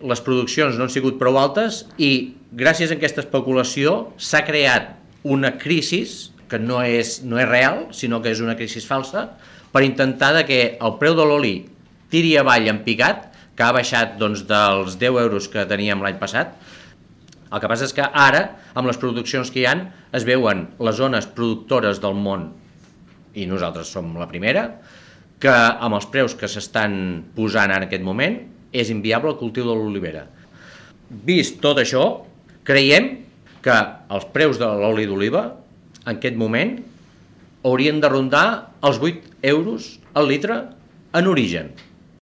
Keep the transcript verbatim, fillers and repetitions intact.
Les produccions no han sigut prou altes i gràcies a aquesta especulació s'ha creat una crisi que no és, no és real, sinó que és una crisi falsa, per intentar de que el preu de l'oli tiri avall en picat, que ha baixat doncs, dels deu euros que teníem l'any passat. El que passa és que ara, amb les produccions que hi ha, es veuen les zones productores del món, i nosaltres som la primera, que amb els preus que s'estan posant en aquest moment és inviable el cultiu de l'olivera. Vist tot això, creiem que els preus de l'oli d'oliva en aquest moment haurien de rondar els vuit euros al litre en origen.